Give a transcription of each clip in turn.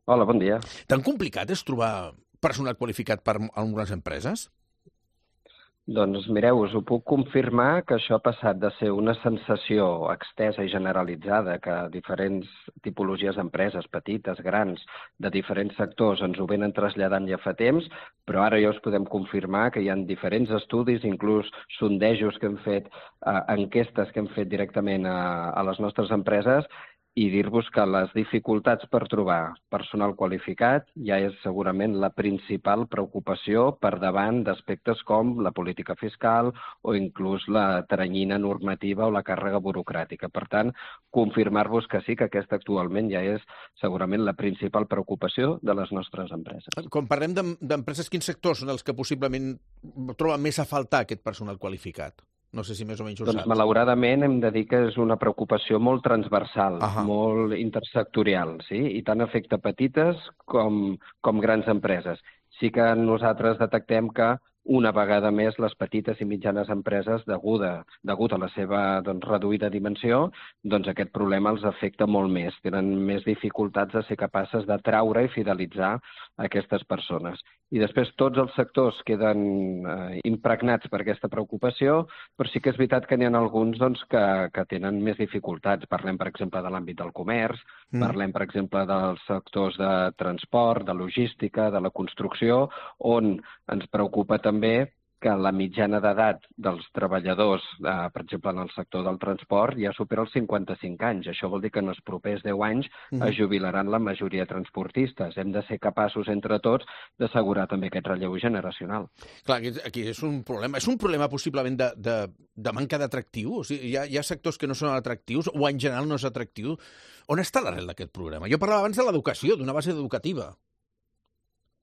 Hola, bon dia. Tan complicat és trobar personal qualificat per a algunes empreses? Doncs mireu, us ho puc confirmar que això ha passat de ser una sensació extesa i generalitzada que diferents tipologies d'empreses, petites, grans, de diferents sectors, ens ho venen traslladant ja fa temps, però ara ja us podem confirmar que hi ha diferents estudis, inclús sondejos que hem fet, enquestes que hem fet directament a les nostres empreses, i dir-vos que les dificultats per trobar personal qualificat ja és segurament la principal preocupació per davant d'aspectes com la política fiscal o inclús la teranyina normativa o la càrrega burocràtica. Per tant, confirmar-vos que sí, que aquesta actualment ja és segurament la principal preocupació de les nostres empreses. Quan parlem d'empreses, quins sectors són els que possiblement troben més a faltar aquest personal qualificat? No sé si més o menys ho Doncs saps. malauradament hem de dir que és una preocupació molt transversal, molt intersectorial, sí? I tant afecta petites com grans empreses. Sí que nosaltres detectem que una vegada més les petites i mitjanes empreses, degut a la seva reduïda dimensió, aquest problema els afecta molt més. Tenen més dificultats de ser capaces d'atraure i fidelitzar aquestes persones. I després tots els sectors queden impregnats per aquesta preocupació, però sí que és veritat que n'hi ha alguns que tenen més dificultats. Parlem, per exemple, de l'àmbit del comerç, parlem, per exemple, dels sectors de transport, de logística, de la construcció, on ens preocupa també que la mitjana d'edat dels treballadors, per exemple, en el sector del transport, ja supera els 55 anys. Això vol dir que en els propers 10 anys es jubilaran la majoria de transportistes. Hem de ser capaços, entre tots, d'assegurar també aquest relleu generacional. Clar, aquí és un problema. És un problema possiblement de manca d'atractiu? O sigui, hi ha sectors que no són atractius o en general no és atractiu. On està l'arrel d'aquest problema? Jo parlava abans de l'educació, d'una base educativa.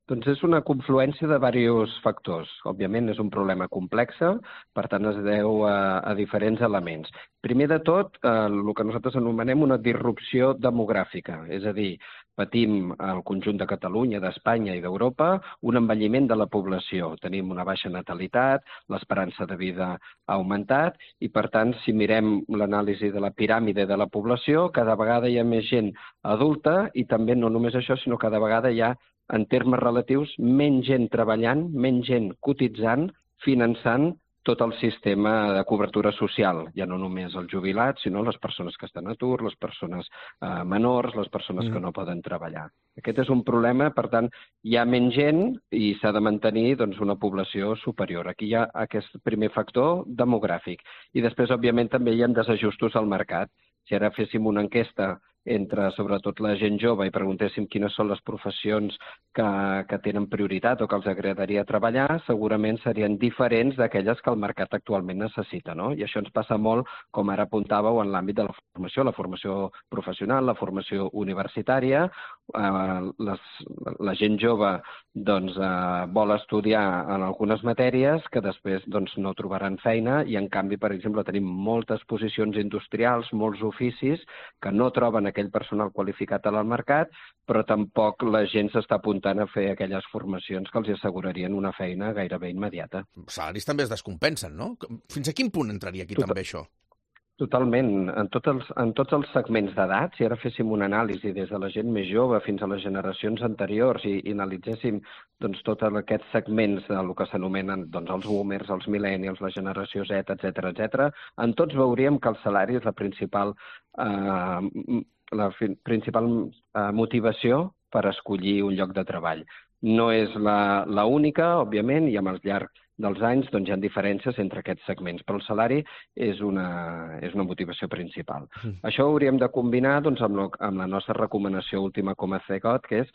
Doncs és una confluència de diversos factors. Òbviament és un problema complex, per tant es deu a diferents elements. Primer de tot, el que nosaltres anomenem una disrupció demogràfica, és a dir, patim al conjunt de Catalunya, d'Espanya i d'Europa un envelliment de la població. Tenim una baixa natalitat, l'esperança de vida ha augmentat i, per tant, si mirem l'anàlisi de la piràmide de la població, cada vegada hi ha més gent adulta i també no només això, sinó cada vegada hi ha, en termes relatius, menys gent treballant, menys gent cotitzant, finançant tot el sistema de cobertura social. Ja no només els jubilats, sinó les persones que estan a atur, les persones menors, les persones que no poden treballar. Aquest és un problema, per tant, hi ha menys gent i s'ha de mantenir una població superior. Aquí hi ha aquest primer factor demogràfic. I després, òbviament, també hi ha desajustos al mercat. Si ara féssim una enquesta entre, sobretot, la gent jove i preguntéssim quines són les professions que tenen prioritat o que els agradaria treballar, segurament serien diferents d'aquelles que el mercat actualment necessita, no? I això ens passa molt, com ara apuntàveu, en l'àmbit de la formació professional, la formació universitària. La gent jove vol estudiar en algunes matèries que després no trobaran feina i, en canvi, per exemple, tenim moltes posicions industrials, molts oficis que no troben aquell personal qualificat al mercat, però tampoc la gent s'està apuntant a fer aquelles formacions que els assegurarien una feina gairebé immediata. Els salaris també es descompensen, no? Fins a quin punt entraria aquí també això? Totalment. En tots els segments d'edat, si ara féssim una anàlisi des de la gent més jove fins a les generacions anteriors i analitzéssim tots aquests segments del que s'anomenen els boomers, els millennials, la generació Z, etc., en tots veuríem que el salari és la principal motivació per escollir un lloc de treball. No és l'única, òbviament, i amb el llarg dels anys hi ha diferències entre aquests segments, però el salari és una motivació principal. Això ho hauríem de combinar amb la nostra recomanació última com a CEGOT, que és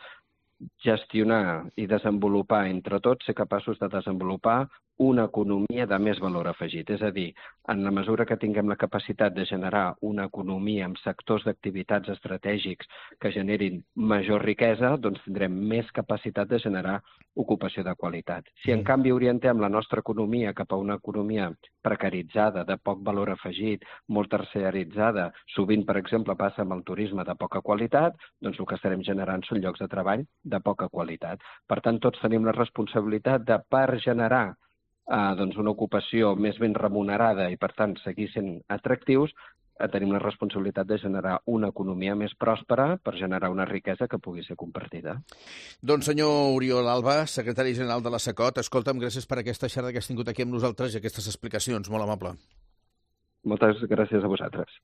gestionar i desenvolupar entre tots, ser capaços de desenvolupar una economia de més valor afegit. És a dir, en la mesura que tinguem la capacitat de generar una economia amb sectors d'activitats estratègics que generin major riquesa, tindrem més capacitat de generar ocupació de qualitat. Si, en canvi, orientem la nostra economia cap a una economia precaritzada, de poc valor afegit, molt terciaritzada, sovint, per exemple, passa amb el turisme de poca qualitat, el que estarem generant són llocs de treball de poca qualitat. Per tant, tots tenim la responsabilitat de, per generar una ocupació més ben remunerada i, per tant, seguir sent atractius, tenim la responsabilitat de generar una economia més pròspera per generar una riquesa que pugui ser compartida. Doncs senyor Oriol Alba, secretari general de la SACOT, escolta'm, gràcies per aquesta xerrada que has tingut aquí amb nosaltres i aquestes explicacions, molt amable. Moltes gràcies a vosaltres.